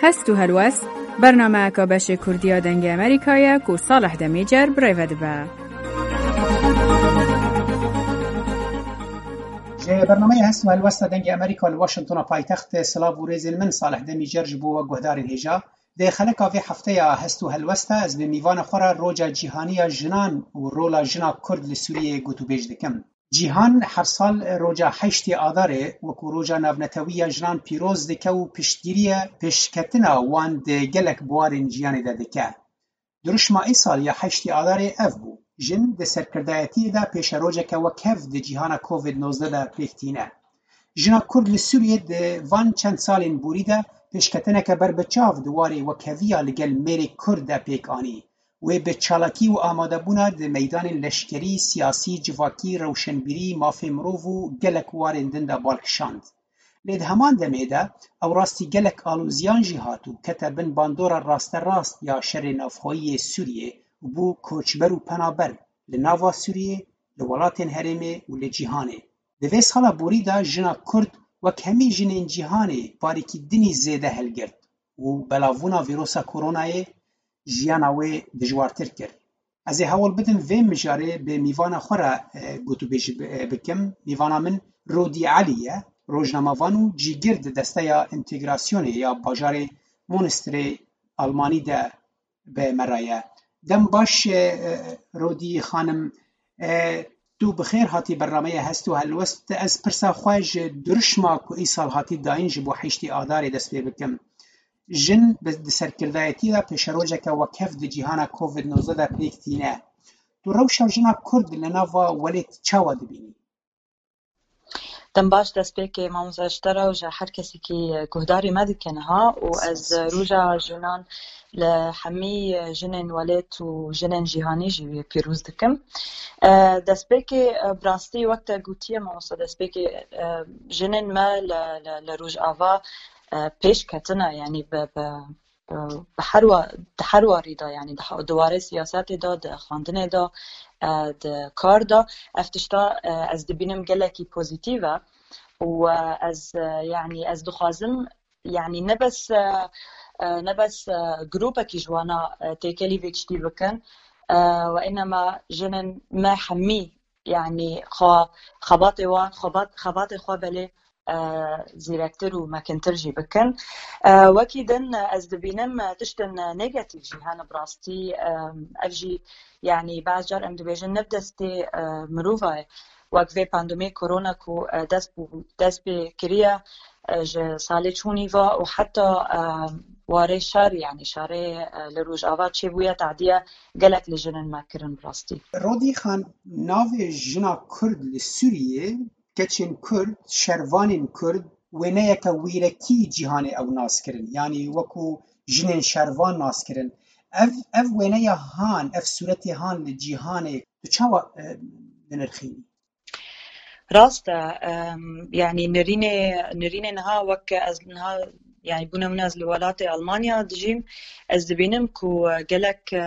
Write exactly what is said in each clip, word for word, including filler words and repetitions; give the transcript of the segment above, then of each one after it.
Hest û helwest, bernameyeka beşê Kurdî ya Dengê Amerîkayê ye ku Salih Demîcer bi rê ve dibe. Ji bernameya Hest û Helwesta Dengê Amerîka li Washingtona paytextê silav û rêzên min Salih Demîcer ji bo we guhdarên hêja. Di xeleka vê hefteya Hest û Helwesta ez bi mîvana xwe re Roja Cîhanî ya Jinan û rola jina Kurd li Sûriyeyê gotûbêj dikim. Cîhan her sal roja heştê Adarê wekî roja navnetewî ya jinan pîroz dike û piştgiriye pêşketina wan di gelek biwarên jiyanê de dike. Dirûşma îsal ya heştê Adarê ev bû: jin di serkirdayetiyê de pêşerojeke wekhev di cîhana Covid nozdeh de pêk tîne. Jina Kurd li Sûriyê di van çend salên borî de pêşketineke berbiçav di warê wekheviya li gel mêrê Kurd de pêk anî. Wê bi çalakî û amadebûna di meydanên leşkerî, siyasî, civakî, rewşenbîrî, mafê mirov û gelek warên din de bal kişand. Lê di heman demê de ew rastî gelek alozîyan jî hat û kete bin bandora rasterast ya şerê navxweyî yê Sûriyê û bû koçber û penaber li nava Sûriyê, li welatên herêmê û li cîhanê. Di vê sala borî de jina Kurd wek hemî jinên cîhanê barîkî dinî zêde hilgirt û belavbûna vîrosa koronayê jiyana wê dijwartir kir. Ez ê hewl bidim vê mijarê bi mîvana xwe re, e, gotûbêjî bi-, e, bikim. Mîvana min Rodî Elî ye, rojnamevan û cîgir di desteya întegrasyonê ya bajarê Munsterê Almanî de bi me re ye. Dem baş, e, e, Rodî xanim, e, tu bi xêr hatî bernameya Hest û Helwest. Ez pirsa xwe ji dirûşma ku îsal hatî dayîn ji bo heştê Adarê dest pê bikim. Jin bi, di serkirdayetî de pêşerojeke wekhev di cîhana Covid nozdeh de pêk tîne. Tu rewşa jina Kurd li nava welêt çawa dibînî? Dem baş destpêkê mamosta ji te re û ji her kesekî guhdarî me dike niha û ez Roja Jinan li hemî jinên welêt û jinên cîhanî jî pîroz dikim. E, destpêkê, e, bi rastî wek te gotiye mamosta, destpêkê, e, jinên me li, li, li Rojava, e, pêş ketine, yanî bi, bi, bi, bi her wa-, di her warî de, yanî di he-, di warê siyasetê de, di xwendinê de, e, di kar de, ev tişta, e, ez dibînim gelekî pozîtîf e û, e, ez, e, yanî ez dixwazim, yanî ne bes, e, e, ne bes, e, grûpekî ji wana, e, têkelî vê tiştî bikin, e, we înema jinên me hemî, yanî xwe, xebatê wan, xebat, xebatê xwe belê, e, zîrektir û mekintir jî bikin. E, wekî din, e, ez dibînim, e, tiştin, e, negatîf jî hene bi rastî, e, ev jî, yanî, baz car em dibêjin ne bi destê, e, mirova ye. Wek vê pandemiyê korona ku, e, dest bû, dest pê kiriye, e, ji salê çûnî ve û heta, e, warê şer, yanî şerê, e, li Rojava çêbûye, tadiye gelek li jinên me kirin bi rastî. Rodî Xan, navê jina Kurd li Sûriyê, keçên Kurd, şervanên Kurd, wêneyeke wîrekî cîhanê ew nas kirin. Yanî wekû jinên şervan nas kirin. Ev, ev wêneya han, ev sûretê han li cîhanê tu çawa, e, dinirxînî? Rast e, em, yanî nirînê, nirînê niha wek ez niha, yanî bûne min ez li welatê Almanya dijîm, ez dibînim ku, e, gelek, e,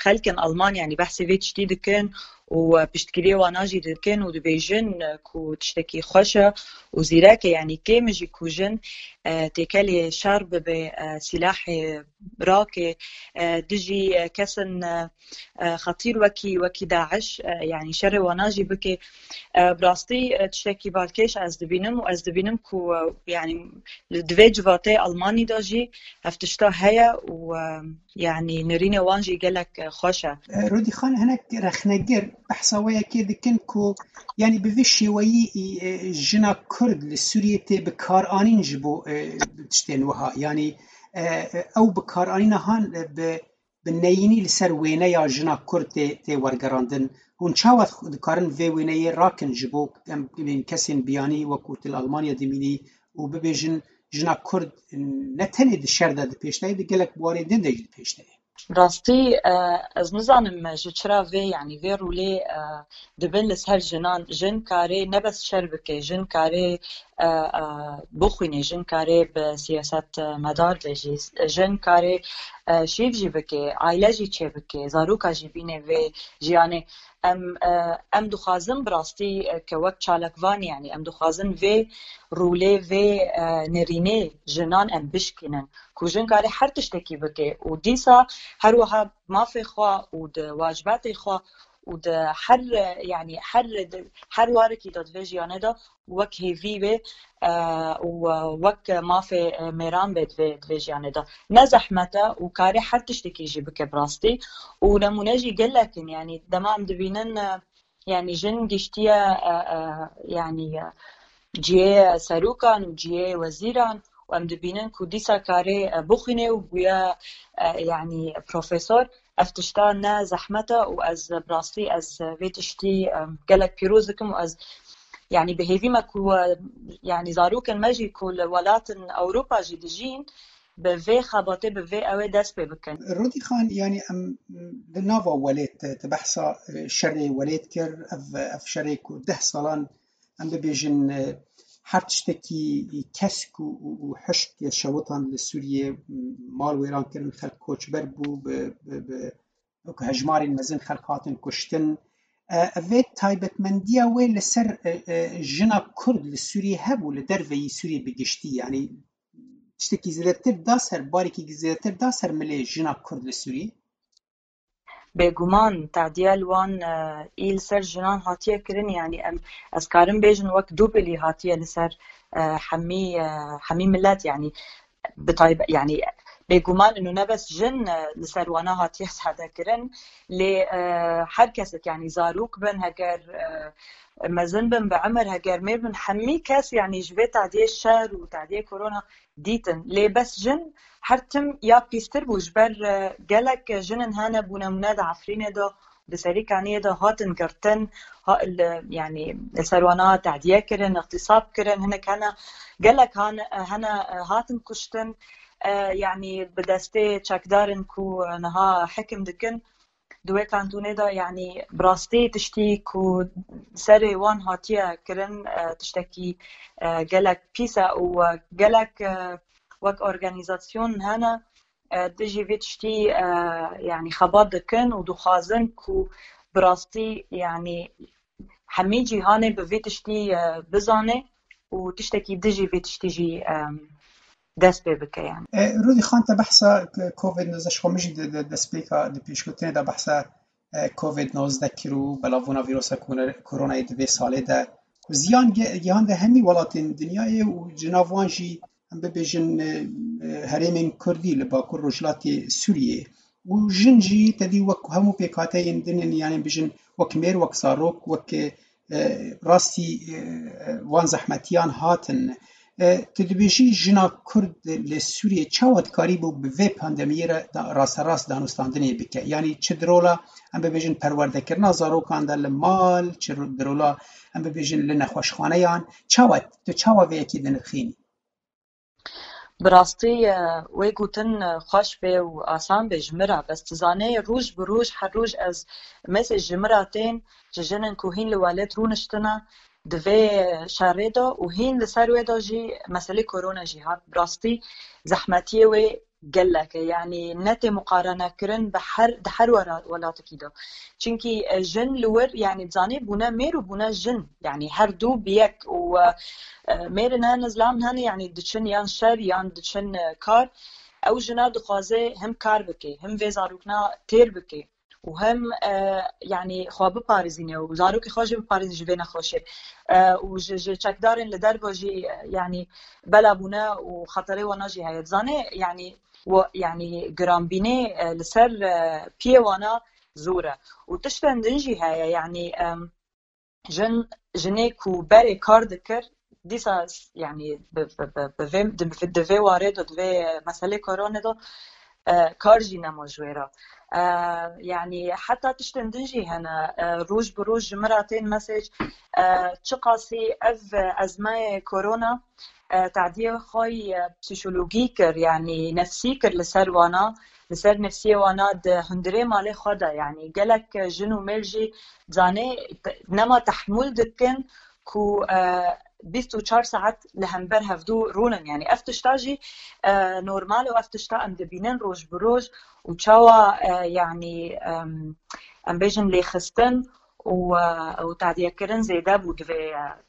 xelkên Alman, yanî behsê vê tiştî dikin û, e, piştgiriyê wana jî dikin û dibêjin, e, ku tiştekî xweş e û zîrek e, yanî kêm e jî ku jin, e, têkelê şer bibe, e, sîlahê rakê, e, dijî, e, kesin, e, e, xetîr wekî, wekî DAIŞ, e, yanî şerê wana jî bike. E, bi rastî, e, tiştekî balkêş ez dibînim û ez dibînim ku, e, yanî li divê civatê Almanî de jî ev tişta heye û, e, yanî nirînê wan jî gelek, e, xweş e. E, Rodî Xan, hinek rexnegir behsa wê yekê dikin ku, yanî bi vî şêweyî, e, jina Kurd li Sûriyê tê bikaranîn ji bo, e, tiştên wiha. Yanî, e, e, ew bikaranîna han, e, bi bi neyînî li ser wêneya jina Kurd tê, tê wergerandin. Hûn çawa dikarin vê wêneyê rakin ji bo em, em kesên biyanî wekû tu li Almanya dimînî û bibêjin jina Kurd ne tenê di şer de di pêş de ye, di gelek biwarên din de jî di pêş de ye? Rastî, e, ez nizanim ji çira vê, yanî vê rolê, e, dibin li ser jinan. Jin karê ne bes şer bike, jin karê, e, e, bixwîne, jin karê bi siyaset, e, medar be jî, jin karê, e, şîv jî bike, aile jî çê bike, zaroka jî bîne vê jiyanê. Em, e, em dixwazin bi rastî, e, ke wek çalakvan, yanî em dixwazin vê rolê, vê, e, nerînê jinan em bişkînin, ku jin karê her tiştekî bike û dîsa her wiha mafê xwe û di wacibetê xwe û di her, e, yanî her, her warekî de di vê jiyanê de wek hêvî bê, e, û, e, wek mafê, e, mêran bê di vê, di vê jiyanê de. Ne zehmet e û karê her tiştekî jî bike bi rastî. Û nemûne jî gelek in, yanî dema em dibînin, e, yanî jin giştiye, e, e, yanî, e, cihê serokan û cihê wezîran û em dibînin ku dîsa karê, e, bixwîne û bûye, e, yanî profesor. Ev tişta ne zehmet e û ez bi rastî ez vê tiştî, e, gelek pîroz dikim û ez, yanî bi hêvî me ku, e, yanî zarokên me jî ku li welatên Ewropa jî dijîn, bi vê xebatê, bi vê ew ê dest pê bikin. Rûdî Xan, yanî em li nava welêt te, te behsa, e, şerê welêt kir, ev, ev şerê ku deh salan em bibêjin, e, her tiştekî kesk û, û, û hişk şewitan li Sûriyê, mal wêran kirin, xelk koçber bû, bi, bi, bi, wek hejmarên mezin xelk hatin kuştin. E, vê taybetmendiya wê li ser, e, e, jina Kurd li Sûriyê hebû, li derveyî Sûriyê bi giştî, yanî tiştekî zêdetir da ser, barekî zêdetir da ser milê jina Kurd li Sûriyê? Bêguman, tadiya li wan, e, î li ser jinan hatiye kirin, yanî em, ez karim bêjin wek dûbilî hatiye li ser, e, hemî, e, hemî milet, yanî bi taybet, yanî bêguman ino ne bes jin, e, li ser wana hatiye zade kirin, lê, e, her kesek, yanî zarok bin, heger, e, mezin bin bi emir, heger mêr bin, hemî kes, yanî ji vê tadiyê şer û tadiyê korona dîtin. Lê bes jin her tim ya pîstir bû, ji ber, e, gelek jin in hene bû nemûne di Efrînê de, di Serî Kaniyê de hatin girtin, ha, li, yanî li ser wana tehdiye kirin, îxtîsab kirin, hinek hene, gelek han-, hene, e, hatin kuştin, e, yanî bi destê çekdarin ku niha hekim dikin, di wê kantonê de, yanî bi rastî tiştî ku serê wan hatiye kirin, e, tiştekî, e, gelek pîs e û, e, gelek, e, wek organîzasyon hene, e, dijî vê tiştî, e, yanî xebat dikin û dixwazin ku bi rastî, yanî hemî cîhanê bi vê tiştî, e, bizane û tiştekî dijî vê tiştî jî, e, dest pê bike, yanî. E, Rûdî Xan, te behsa covid nozdeh, ji xwe min jî di, di destpêka, di pêşgotinê de behsa, e, covid nozdeh kir û belavbûna vîrosa kone-, koronayê di vê salê de ku ziyan ge-, gihande hemî welatên dinyayê û ji nav wan jî, em bibêjin, e, e, herêmên Kurdî li Bakur Rojhilatê Sûriyê. Û jin jî te dî wek hemû pêkhateyên din in, yanî bijin wek mêr, wek zarok, wek, e, e, rastî, e, e, wan zehmetiyan hatin. E, tu dibêjî jina Kurd li Sûriyê çawa dikarîbû bi vê pandemiyê re da-, rasterast danûstandinê bike? Yanî çi di rola, em bibêjin, perwerdekirina zarokan de li mal, çi ro-, di rola, em bibêjin, li nexweşxaneyan, çawa, tu çawa vê yekê dinirxînî? Bi rastî, e, wê gotin, e, xweş bê û asan bê ji min re, bes tu zanê, roj bi roj, her roj ez mesaj ji min re tên, ji jinên ku hîn li welêt rûniştine, di vê şerê de û hîn li ser wê de jî meselê korona jî hat. Bi rastî zehmetiyê wê gelek e, yanî ne tê muqarene kirin bi her, di her wera-, welatekî de. Çimkî, e, jin li wir, yanî dizanî bûne mêr û bûne jin, yanî her du bi yek û, e, e, mêrin hene, zilam hene, yanî diçin yan şer yan diçin, e, kar. Ew jina dixwaze hem kar bike, hem vê zarokna têr bike û hem, e, yanî xwe biparêzîne û zarokê xwe jî biparêzîne ji vê nexweşê. E, û ji, ji çekdarên li derve jî, e, yanî bela bûne û xeterê wana jî heye. Dizanê, yanî, we-, yanî giranbînê, e, li ser, e, piyê wana zor e. Û tiştên din jî heye, yanî, em, jin, jinê ku berê kar dikir, dîsa s-, yanî bi, bi, bi, bi vê, di, di vê warê de, di vê meselê koronê de, e, kar jî nema ji wê re. E, yanî heta tiştên din jî hene, e, roj bi roj ji min re tên mesaj, e, çiqasî ev ezmayê korona, e, tadiyê xwe yê psîkologî kir, yanî nefsî kir li ser wana, li ser nefsiyê wana di hundirê malê xwe de, yanî gelek jin û mêr jî zanê te-, nema tehmûl dikin ku, e, bîst û çar saet li hember hevdû rûnin. Yanî ev tişta jî, e, normal û ev tişta em dibînin roj bi roj û çawa, e, yanî, em, em bêjin lêxistin û, e, û tadiyekirin zêde bû di vê,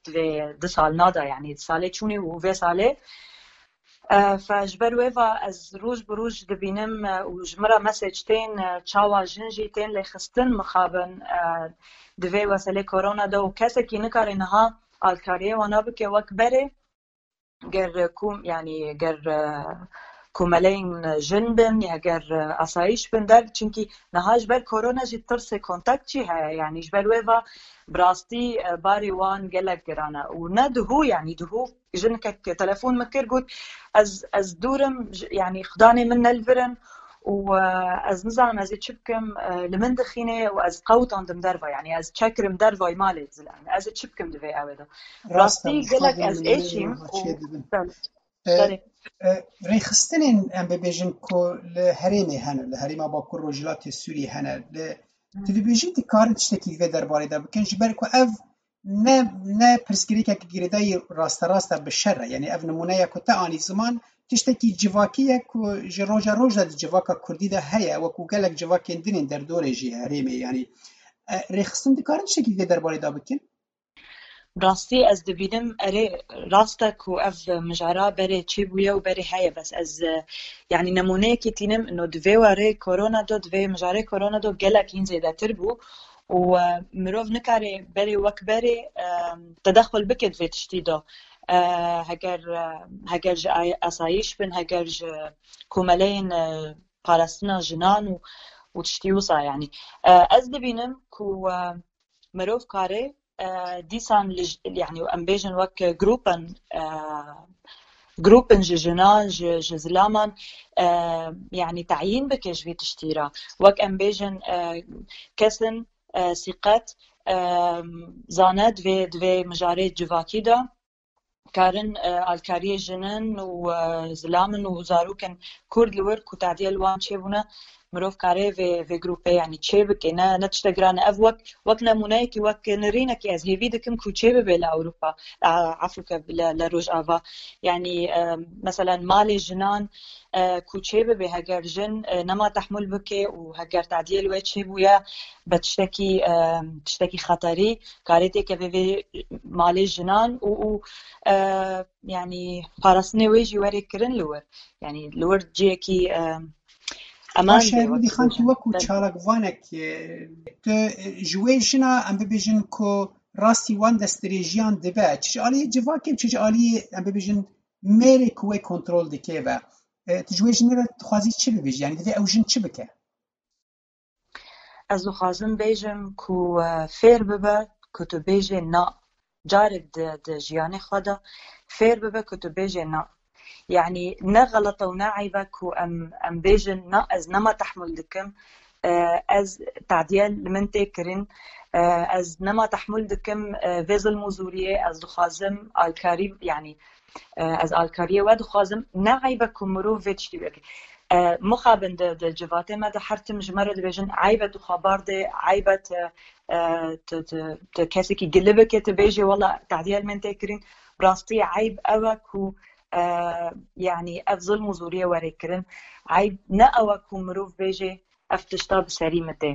di vê du salna de, yanî di salê çûnê û vê salê. E, fe ji ber wê va ez roj bi roj dibînim, e, û ji min re mesaj tên, e, çawa jin jî tên lêxistin mixabin, e, di vê weselê korona de û kesekî nikare niha alkariyê wana bike wek berê, ger kom-, yanî ger, e, komeleyên jin bin ya ger, e, asayîş bin der, çimkî niha ji ber korona jî tirsê kontakt jî heye, yanî ji ber wê va bi rastî, e, barê wan gelek giran e û ne dihû, yanî dihû jinikek telefon min kir, got, ez, ez dûr im, j-, yanî xudanê min ne li vir in û, e, ez nizanim ez ê çi bikim, e, li min dixîne û ez qewtandim derva, yanî ez çekirim dervayî malê zilam, ez ê çi bikim di vê ewê de. Rastî gelek ez êşîm û belê. E, belê. E, rêxistinên em bibêjin ku li herêmê hene, li herêma Bakur Rojhilatê Sûriyê hene, li, tu dibêjî dikarin tiştekî di vê derbarê de bikin, ji ber ku ev ne, ne pirsgirêkek girêdayî rasterast e bi şer re. Yanî ev nimûneya ku te anî ziman, tiştekî civakî ye ku ji roja roj de di civaka kurdî de heye, wekû gelek civakên din ên derdorê jî herêmê. Yanî, e, rêxistin dikarin tiştekî di vê derbarê de bikin? Bi rastî ez dibînim, erê, rast e ku ev mijara berê çêbûye û berê heye, bes ez, e, yanî nemûneyekî tînim, no di vê warê korona do, di vê mijarê korona do gelek hîn zêdetir bû û, e, mirov nikare berê wek berê, e, tedexul bike di vê tiştî do. E, heger, e, heger ji ay-, asayîş bin, heger ji komeleyên, e, parastina jinan û, û tiştî wisa, yanî. E, ez dibînim ku, e, mirov kare, e, dîsan li j-, yanî em bêjin wek grûpen, e, grûpen ji jinan, ji, ji zilaman, e, yanî teyîn bike ji vê tiştî re. Wek em bêjin, e, kesin, e, sîqet, e, zane di vê, di vê mijarê civakî de karin, e, alkariyê jinin û, e, zilamin û zarokên Kurd li wir ku tadiye li wan çêbûne, mirov kare vê, vê grûpê, yanî çê bike. Ne, ne tişte giran e. Ev wek, wek nemûneyekî, wek nirînekî ez hêvî dikim ku çê bibe li Ewropa, a, efûke li, li Rojava. Yanî, e, meselen malê jinan, e, ku çê bibe, heger jin, e, nema tehmûl bike û heger tadiye li wê çêbûye, be tiştekî, e, tiştekî xeterî, karê têkeve vê malê jinan û, û, e, yanî parastinê wê jî were kirin li wir. Yanî li wir cihekî, e, eman Baş e, be, Rûdî wek Xan, tu bêjin. Wekû çalakvanek, e, tu, e, ji wê jina em bibêjin ku rastî wan destdirêjiyan dibe. Çi ji aliyê civakê, çi ji aliyê em bibêjin mêrê ku wê kontrol dike ve. E, tu ji wê jinê re dixwazî çi bibêjî? Yanî divê ew jin çi bike? Ez dixwazim bêjim ku, e, fêr bibe ku tu bêjê na. Carek di, di jiyanê xwe de fêr bibe ku tu bêjê na. Yanî ne xelet e û ne eyb e ku em, em bêjin na, ez nema tehmûl dikim, e, ez tadiye li min tê kirin, e, ez nema tehmûl dikim, e, vê zilm û zûriyê, ez dixwazim alkarî, yanî, e, ez alkariyê we dixwazim. Ne eyb e ku mirov vê tiştî bike. E, mixabin di, di civatê me de her tim ji me re dibêjin, eyb e tu xwe bardê, eyb e tu, e, tu, tu, tu kesekî gili bike, tu bêjê, wela tadiye li min tê kirin. Bi rastî eyb ew e ku, e, yanî ev zilm û zûriyê were kirin. Eyb ne ew e ku mirov bêjê, ev tişta bi serî min tê.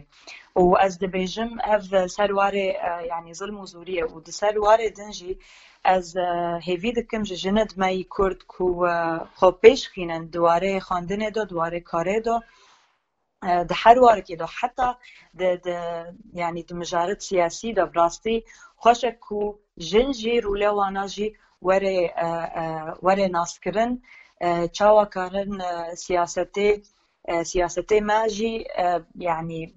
Û ez dibêjim, ev ser warê, e, yanî zilm û zûriyê û di ser warê din jî ez, e, hêvî dikim ji jinid me yî Kurd ku, e, xwe pêş xînin di warê xwendinê de, di warê karê de, e, di her warekê de, heta di, di, yanî di mijaret siyasî de bi rastî xweş e ku jin jî, rûle wana jî were, e, e, were naskirin, e, çawa karin, e, siyasetê, e, siyasetê me jî, e, yanî,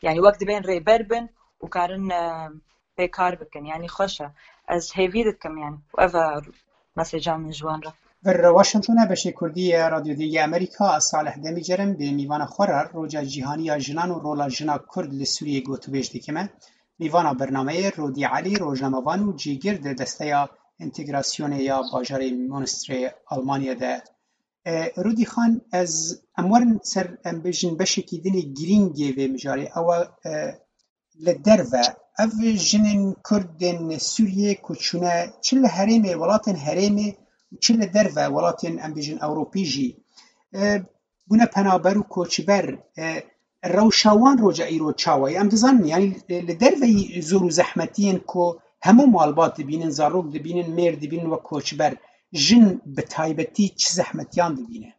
yanî wek dibên rêber bin û karin, e, pê kar bikin. Yanî xweş e. Ez hêvî dikim, yanî ev e meseca min ji wan re. Vir Washington e, beşê Kurdî ye, Radyo Dengê Amerîka, ez Salih Demîcer im, bê mîvana xwe re Roja Cîhanî ya Jinan û rola jina Kurd li Sûriyê gotûbêj dikime. Mîvana bernameyê Rodî Elî, rojnamevan û cîgir di desteya entegrasyonê ya bajarê Münsterê Almanya de. E, Rûdî Xan, ez, em werin ser, em bêjin beşekî dinê girîngê vê mijarê. Ew e, e, li derve, Ev jinên Kurd ên Sûriyê ku çûne çi li herêmê, welatên herêmê û çi li derve welatên, em bêjin, Ewropî jî, e, bûne penaber û koçber, e, rewşa wan roja îro çawa ye? Em dizanin, yanî, e, li derveyî zor û zehmetiyên ku hemû malbat dibînin, zarok dibînin, mêr dibînin wek koçber, jin bi taybetî çi zehmetiyan dibîne?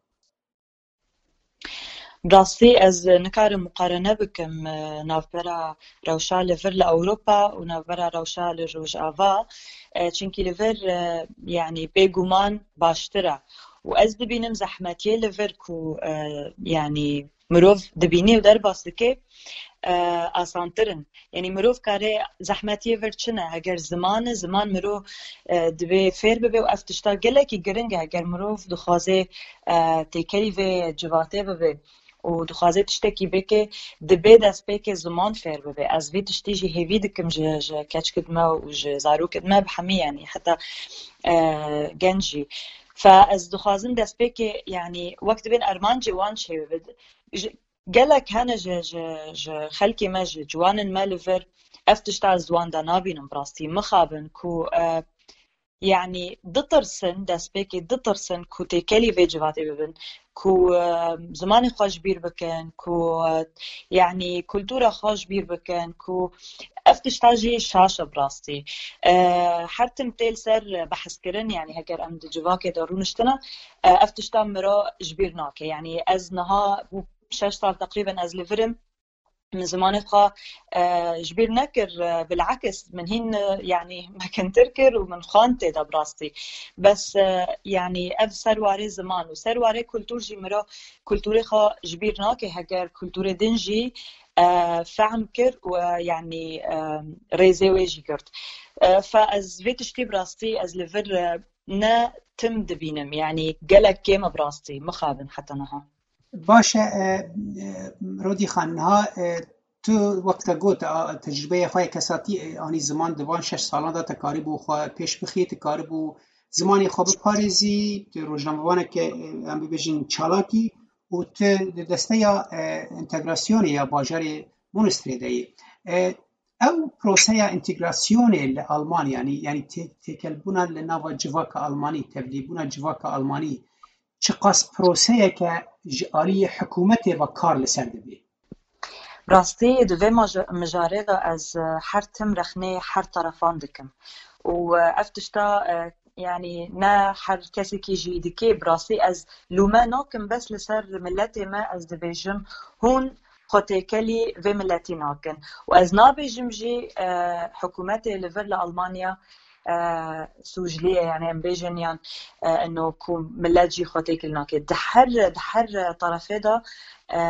Rastî ez nikarim muqarene bikim, e, navbera rewşa li vir li Ewropa û navbera rewşa li Rojava, e, çimkî li vir, e, yanî bêguman baştir e. Û ez dibînim zehmetiyê li vir ku, e, yanî mirov dibînî û derbas dike, e, asantir in. Yanî mirov kare zehmetiyê vir çi ne? Heger ziman e, ziman mirov, e, divê fêr bibe û ev tişta gelekî giring e. Heger mirov dixwaze, e, têkelî vê civatê bibe û dixwaze tiştekî bike, dibe destpêkê ziman fêr bibe. Ez vê tiştî jî hêvî dikim ji, ji keçikid me û ji zarokid me bi hemî, yanî heta, e, genc jî. Fe ez dixwazim destpêkê, yanî wek dibên armancê wan çêbibe. Ji, gelek hene ji, ji, ji xelkê me, ji ciwanên me li vir, ev tişta ez di wan de nabînim bi rastî. Mixabin ku, e, yanî ditirsin, destpêkê ditirsin ku têkelî vê civatê bibin, ku, e, zimanê xwe ji bîr bikin, ku, e, yanî kultura xwe ji bîr bikin, ku ev tişta jî şaş e bi rastî. E, her tim tê li ser behskirin, yanî heger em di civakê de rûniştine, e, ev tişta miro ji bîr nake. Yanî ez niha bû şeş sal teqrîben ez li vir im, min zimanê xwe, e, ji bîr nekir, e, bilakis min hîn, e, yanî mekintir kir û min xwend tê de bi rastî. Bes, e, yanî ev ser warê ziman û ser warê kultur jî miro kulturê xwe ji bîr nake, heger kulturê din jî, e, fehm kir û, e, yanî, e, rêzê wê jî girt. E, fe ez vê tiştî bi rastî ez li vir, e, ne tim dibînim, yanî gelek kêm e bi rastî, mixabin heta niha. Baş e, e, e, Rodî Xan, niha, e, tu wek te got, a, tecrûbeya xwe ya kesatî, e, anî ziman, di van şeş salan de te karîbû xwe pêş bixî, tu karîbû zimanê xwe biparêzî, tu rojnamevaneke, e, em bibêjin çalakî û tu di desteya, e, entegrasyonê ya bajarê Monastrê de yî. E, ew proseya entegrasyonê li Almanya, yanî, yanî tê-, têkelbûna li nava civaka Almanî, tevlîbûna civaka Almanî, çiqas proseyeke ji aliyê hikûmetê ve kar li ser dibê? Rastî, di vê maja-, mijarê de ez, e, her tim rexnê her terefan dikim. Û, e, ev tişta, e, yanî ne her kesekî jî dikê, bi rastî ez lûme nakim bes li ser miletê me, ez dibêjim hûn xwe têkelî vê miletî nakin. Û ez nabêjim jî, e, hikûmetê li vir li Almanya, e, sûclî ye, yanî em bêjin yan, e, ino ku milet jî xwe têkil nake. Di her, di her terefê de, e,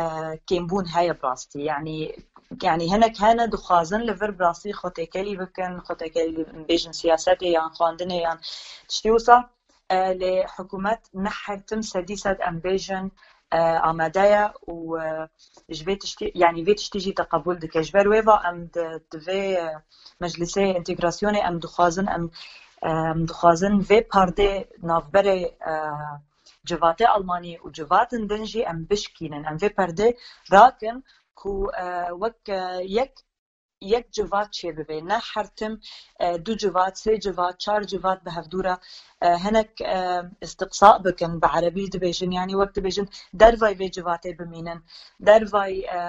kêmbûn heye bi rastî. Yanî, yanî hinek hene dixwazin li vir bi rastî xwe têkelî bikin, xwe têkelî bêjin siyasetê yan xwendinê yan tiştî wisa. E, lê hikûmet ne her tim sedî sed em bêjin, e, amade ye û, e, ji vê tiştî, yanî vê tiştî jî te qebûl dike. Ji ber wê ve em di, di vê, e, meclisê entegrasyonê em dixwazin, em, e, em dixwazin vê perdê navberê, e, civatê Almanî û civatên din jî em bişkînin. Em vê perdê rakin ku, e, wek, e, yek yek civat çêbibe. Ne her tim, e, du civat, sê civat, çar civat bi hevdû re, e, hinek, e, istiqsa bikin, bi erebî dibêjin, yanî wek dibêjin dervayî vê civatê bimînin, dervayî, e,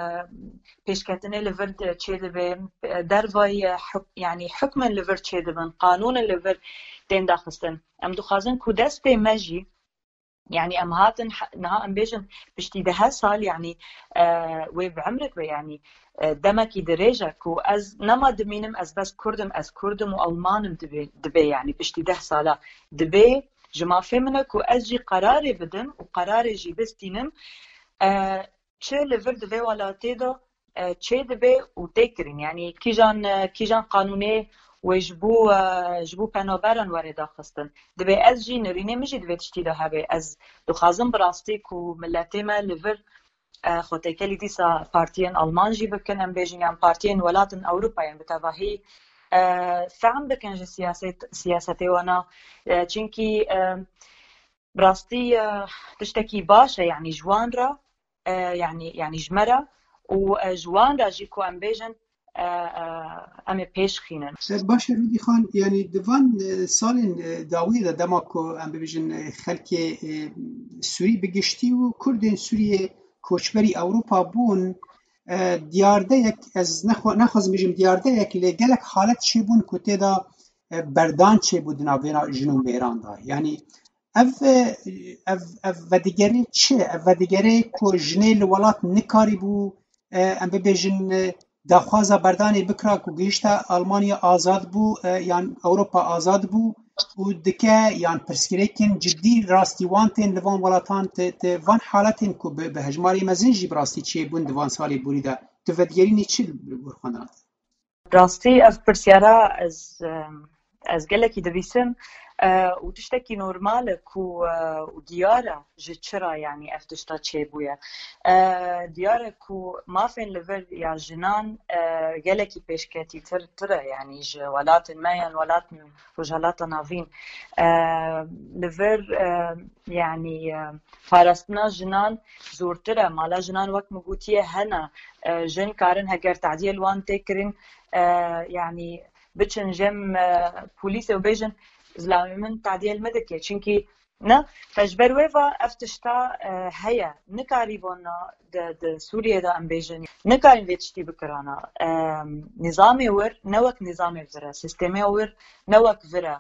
pêşketinê li vir çêdibe, e, dervayî, e, huk-, yanî hukmên li vir çêdibin, qanûnên li vir tên daxistin. Em dixwazin ku destê me jî, yanî em hatin he-, niha em bêjin piştî deh sal, yanî, e, wê bi emrik be, yanî, e, demekî dirêj e ku ez nema dimînim ez bes Kurd im, ez Kurd im û Alman im dibe, dibe, yanî piştî deh sala dibe ji mafê min e ku ez jî qerarê bidim û qerarê jî bistînim, e, çi li vir di vê welatê de, e, çê dibe û tê kirin. Yanî kîjan, e, kîjan qanûnê wê ji bo, e, ji bo penaberan were daxistin. Dibe ez jî, nirînê min jî di vê tiştî de hebe. Ez dixwazim bi rastî ku miletê me li vir, e, xwe têkelî dîsa partiyên Alman jî bikin, em bêjin, yan partiyên welatên Ewropayê bi tevahî, e, fehm bikin ji siyaset, siyasetê wana. E, çimkî, e, bi rastî, e, tiştekî baş e, yanî ji wan re, e, yanî, yanî ji me re û, e, ji wan re jî ku em bêjin, e, e, em ê pêş xînin. Baş e, Rûdî Xan, yanî di van e, salên e, dawiyê de dema ku em bibêjin e, xelkê e, Sûrî bi giştî û Kurdên Sûriyê koçberî Ewropa bûn, e, diyardeyek, ez nexwe- nexwazim bêjim diyardeyek, lê gelek halet çêbûn ku tê de e, berdan çêbû di navêna jin û mêran de. Yanî ev, e, ev, ev vedigere çi? Ev vedigere ku jinê li welat nikarîbû, e, em bibêjin, e, daxwaza berdanê bikira ku gihişte Almanya azad bû, e, yan Ewropa azad bû û dike yan pirsgirêkên cidî rastî wan tên li van welatan, te, te van haletên ku bi, bi hejmarê mezin jî bi rastî çêbûn di van salê borî de. Tu vedigerînî çi li gor xwe de? Rastî ev pirsyara ez, em, ez gelekî dibîsim, e, û tiştekî normal e ku, e, û diyar e ji çira, yanî ev tişta çêbûye. E, diyar e ku mafên li vir ya jinan, e, gelekî pêşketîtir, tir e, yanî ji welatên me yan welatên Rojhilata Navîn. E, li vir, e, yanî, e, parastina jinan zortir e. Mala jinan wek min gotiye hene. E, jin karin heger tadiyê li wan tê kirin, e, yanî biçin cem, e, polîsê û bêjin zilamê min tadiyê li min dike. Çimkî ne, te ji ber wê ve ev tişta, e, heye. Nikarî vana di, di Sûriyê de em bêjin. Nikarin vê tiştî bikirana. E, nîzamê wir ne wek nîzamê vir e. Sîstemê wir ne wek vir e.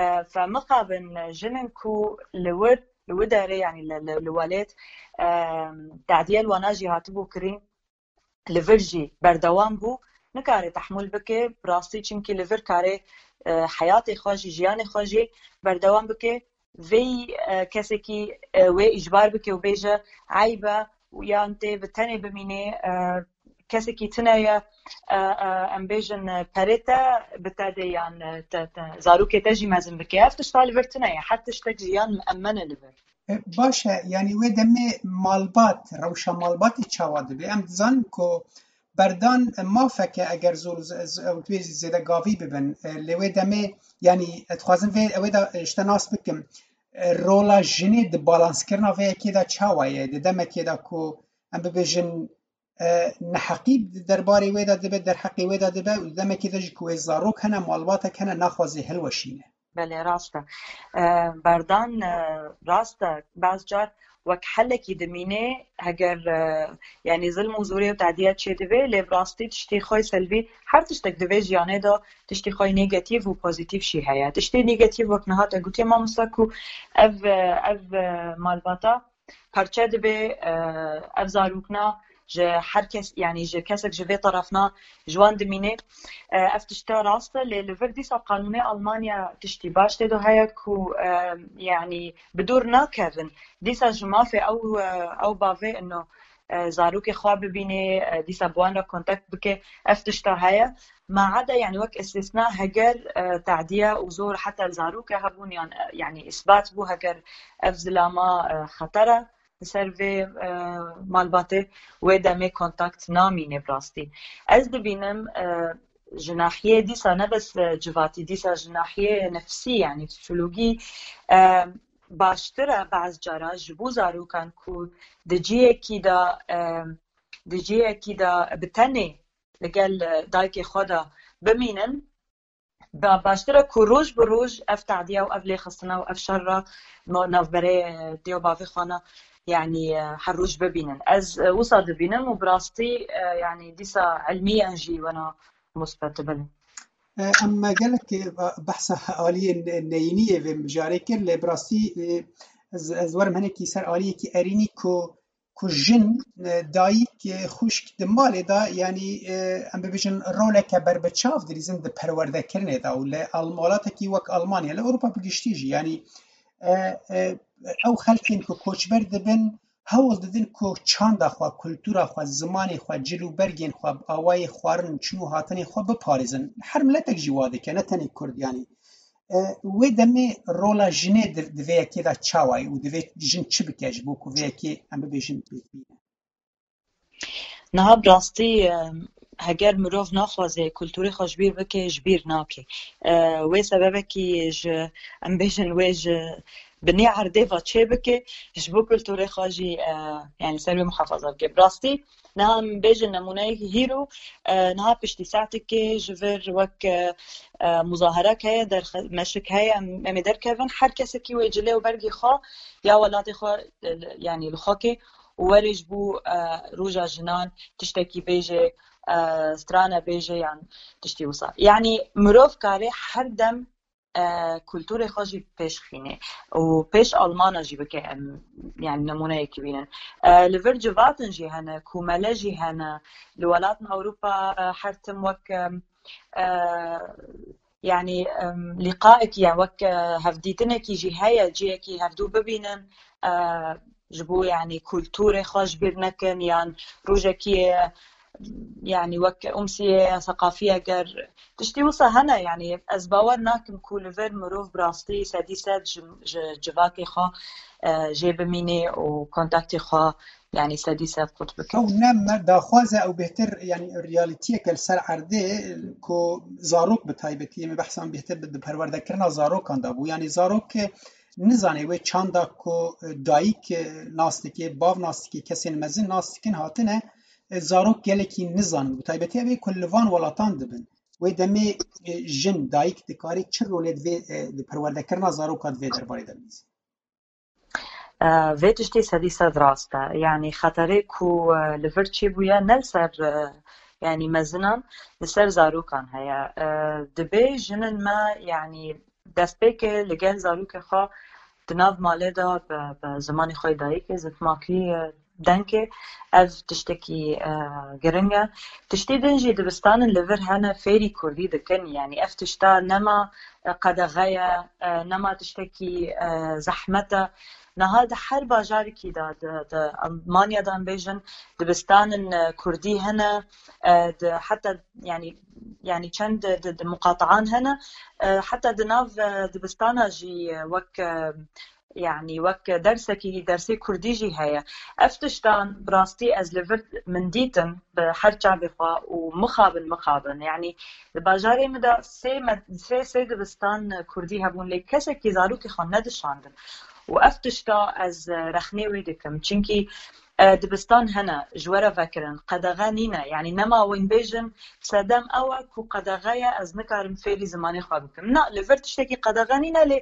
E, fe mixabin jinin ku li wir, li wir derê, yanî li, li, li welêt, e, tadiye li wana jî hatibû kirîn, li vir jî berdewam bû, nikare tehmûl bike, bi rastî, çimkî li vir kare, e, heyatê xwe jî, jiyanê xwe jî berdewam bike. Vê, e, kesekî, e, wê îcbar bike û bêje, eyb e, û yan tê bi tenê bimînê, e, kesekî tune ye, e, e, em bêjin, e, perê te bi te de yan, e, te, te, zarokê te jî mezin bike. Ev tişta li vir tune ye. Her tiştek jiyan miemmen e li vir. E, baş e, yanî wê demê malbat, rewşa malbatê çawa dibe? Em dizanin ku berdan mafek e eger zor z-, z-, ew wê zêde gavî bibin. E, lê wê demê, yanî, e, dixwazin vê, ew ê de, e, ji te nas bikim. E, rola jinê di balanskirina vê yekê de çawa ye? Di demekê de ku em bibêjin, e, neheqî di derbarê wê de dibe, derheqê wê de dibe û di demekê de jî ku wê zarok hene, malbatek hene, naxwaze hilweşîne. Belê, rast e. E, berdan, e, rast e. Baz car wek helekî dimîne, heger, e, yanî zilm û zorê û tadiye çêdibe, lê bi rastî tiştê xwe yê selbî, her tiştek di vê jiyanê de tiştê xwe yê negatîf û pozîtîf jî heye. Tiştê negatîf wek niha te gotiye mamosta ku ev, e, ev, e, malbata parçe dibe, e, ev zarokna ji her kes, yanî ji kesek ji vê terefna ji wan dimîne. E, ev tişta rast e, lê li vir dîsa qanûnê Almanya tiştî baş tê de heye ku, e, yanî bi dûr nakevin. Dîsa ji mafê ew, e, ew bavê ino, e, zarokê xwe bibîne, e, dîsa bi wan re kontakt bike, ev tişta heye. Ma eda, yanî wek îstîsna, heger, e, tadiye û zor heta li zaroke hebûn, yan, e, yanî îsbat bû, heger ev zilama, e, xeter e li ser vê, e, malbatê, wê demê kontakt namîne bi rastî. Ez dibînim, e, ji nahiyê dîsa ne bes, e, civatî, dîsa ji nahiyê nefsî, yanî psîkologî, e, baştir e baz cara ji bo zarokan ku di cihekî de, e, di cihekî de bi tenê li gel, e, dayikê xwe de bimînin, ba-, baştir e ku roj bi roj ev tadiya û ev lêxistina û ev şerra no-, navberê, e, dê û bavê xwe ne, yanî, e, her roj bibînin. Ez, e, wisa dibînim û bi rastî, e, yanî dîsa ilmiyan jî wena musbet dibin. E, em gelek, e, behsa aliyên neyîniyê vê mijarê kir, lê bi rastî, e, ez, ez werim hinekî ser aliyekî erînî ku, ku jin, e, dayik, e, xwişk di malê de, yanî, e, em bibêjin roleke berbiçav dilîzin di perwerdekirinê de û li Alm-, welatekî wek Almanya, li Ewropa bi giştî jî, yanî, e, e, ew xelkên ku koçber dibin, hewl didin ku çanda xwe, kultura xwe, zimanê xwe, cil û bergên xwe, awayê xwarin, çûn û hatinê xwe biparêzin. Her miletek jî wa dike, ne tenê Kurd, yanî. E, wê demê rola jinê di, di vê yekê de çawa ye û divê jin çi bike ji bo ku vê yekê, em bibêjin, pêk bîne? Niha bi rastî, e, heger mirov naxwaze kulturê xwe ji bîr bike, ji bîr nake. E, wê sebebekî ji, em bêjin, wê ji binê erdê ve çêbike, ji bo kulturê xwe jî, e, yani ser wê muhafaza bike. Bi rastî, niha em bêjin nemûneyek hîro, e, niha piştî saetekê ji vir wek, e, e, muzaherek heye, derxe-, meşik heye, em, em ê derkevin, her kesekî wê cilê û bergê xwe ya welatê xwe, e, yani li xwe ke û were ji bo, e, roja jinan tiştekî bêje, e, strane bêje yan tiştî wisa. Yani mirov kare her dem, e, kulturê xwe jî pêş xîne û pêş Almana jî bike em, yani nemûneyekî bînin. E, li vir civatin jî hene, komele jî hene, li welatên Ewropa, e, her tim wek, e, e, yani, em, lîqaekî, yani wek, e, hevdîtinekî jî heye, cihekî hevdû bibînin, e, ji bo yani kulturê xwe ji bîr nekin, yan rojekî, e, yani wek umsiyê seqafî eger tiştî wisa hene, yani ez bawer nakim ku li vir mirov bi rastî sedî sed ji, ji civakê xwe, e, jê bimînê û kontaktê xwe yani sedî sed qut bike. Ew ne me daxwaze, ew bêhtir, yani realîtiyeke li ser erdê ku zarok bi taybetî, em ê behsan bêhtir bi, di perwerdekirina zarokan de bû. Yani zarok nizane wê çanda ku dayik nas dike, bav nas dike, kesên mezin nas dikin hatine, e, zarok gelekî nizan. Bi taybetî ev ê ku li van welatan dibin. Wê demê, e, jin, dayik dikare çi rolê di vê, e, di perwerdekirina zaroka di vê derbarê de bibîze? E, vê tiştê sedî sed rast e. Yani xeterê ku, e, li vir çêbûye ne li ser, e, yani mezinan, li ser zarokan heye. E, dibê jinên me, yani destpêkê li gel zarokê xwe di nav malê de bi, bi zimanê xwe yê dayikê, zikmakî, e, dengê, ev tiştekî, e, giring e. Tiştê din jî dibistanin li vir hene fêrî kurdî dikin, yani ev tişta nema, e, qedexe ye, e, nema tiştekî, e, zehmet e. Niha di her bajarekî de, di, di Almanya de em bêjin, dibistanin, e, kurdî hene, e, di, heta, yani, yani çend di, di, di muqataan hene, e, heta di nav, e, dibistana jî, e, wek, e, yani wek dersekî, dersê kurdî jî heye. Ev tiştan bi rastî ez li vir min dîtin bi her çavê xwe û mixabin, mixabin. Yani di bajarê min de sê me-, sê, sê dibistan kurdî hebûn, lê kesekî zarokê xwe nedişandin. Û ev tişta ez rexnê wê dikim. Çimkî, e, dibistan hene, ji we re vekirin, qedexe nîne. Yani nema wên bêjin, sedem ew e ku qedexe ye, ez nikarim fêrî zimanê xwe bikim. Na, li vir tiştekî qedexe nîne, lê,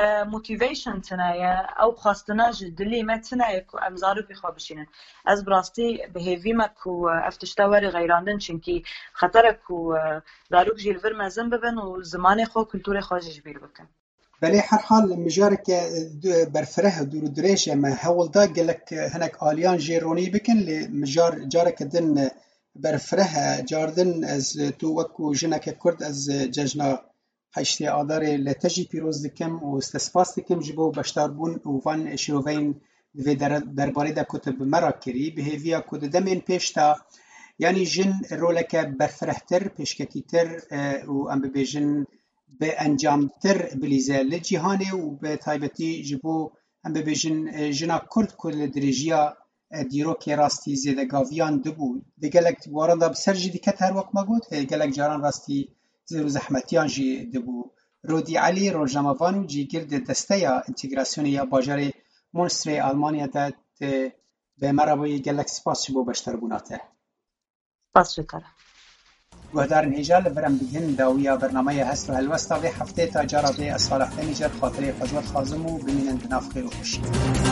e, motivation tune ye, ew xwestina ji dilê me tune ye ku em zarokê xwe bişînin. Ez bi rastî bi hêvî me ku, e, ev tişta were xeyrandin, çimkî xeter e ku, e, zarok jî li vir mezin bibin û zimanê xwe, kulturê xwe jî ji bîr bikin. Belê, herhal mijareke, e, berfireh û dûr û dirêj e. Me hewl da gelek, e, hinek aliyan jê ronî bikin, lê mijar careke din, e, berfireh e. Cardin ez, e, tu wekû jineke Kurd, ez, e, cejna heştê Adarê li te jî pîroz dikim û te spas dikim ji bo beşdarbûn û van şiroveyên di vê dere-, derbarê de ku tu bi me re kirî. Bi hêviya ku di demên pêş de, yanî jin roleke berfirehtir, pêşketîtir, e, û em bibêjin bi encamtir bilîze li cîhanê û bi taybetî ji bo, em bibêjin, e, jina Kurd ku li dirêjiya, e, dîrokê rastî zêdegaviyan dibû. Di gelek waran de bi ser jî diket, her wek me got, e, gelek caran rastî zêr û zehmetiyan jî dibû. Rodî Elî, rojnamevan û cîgir di desteya întegrasyonê ya bajarê Munstrê Almanya de, e, bi me re bûyî, gelek spas ji bo beşdarbûna te. Spas ji te re. Guhdarên hêja, li vir em digihîn dawiya bernameya Hest û Helwesta vê heftê. Ta cara dê, ez Salih Demîcer xatirê xwe ji we dixwazim û bimînin di nav xêr û xweşiyê.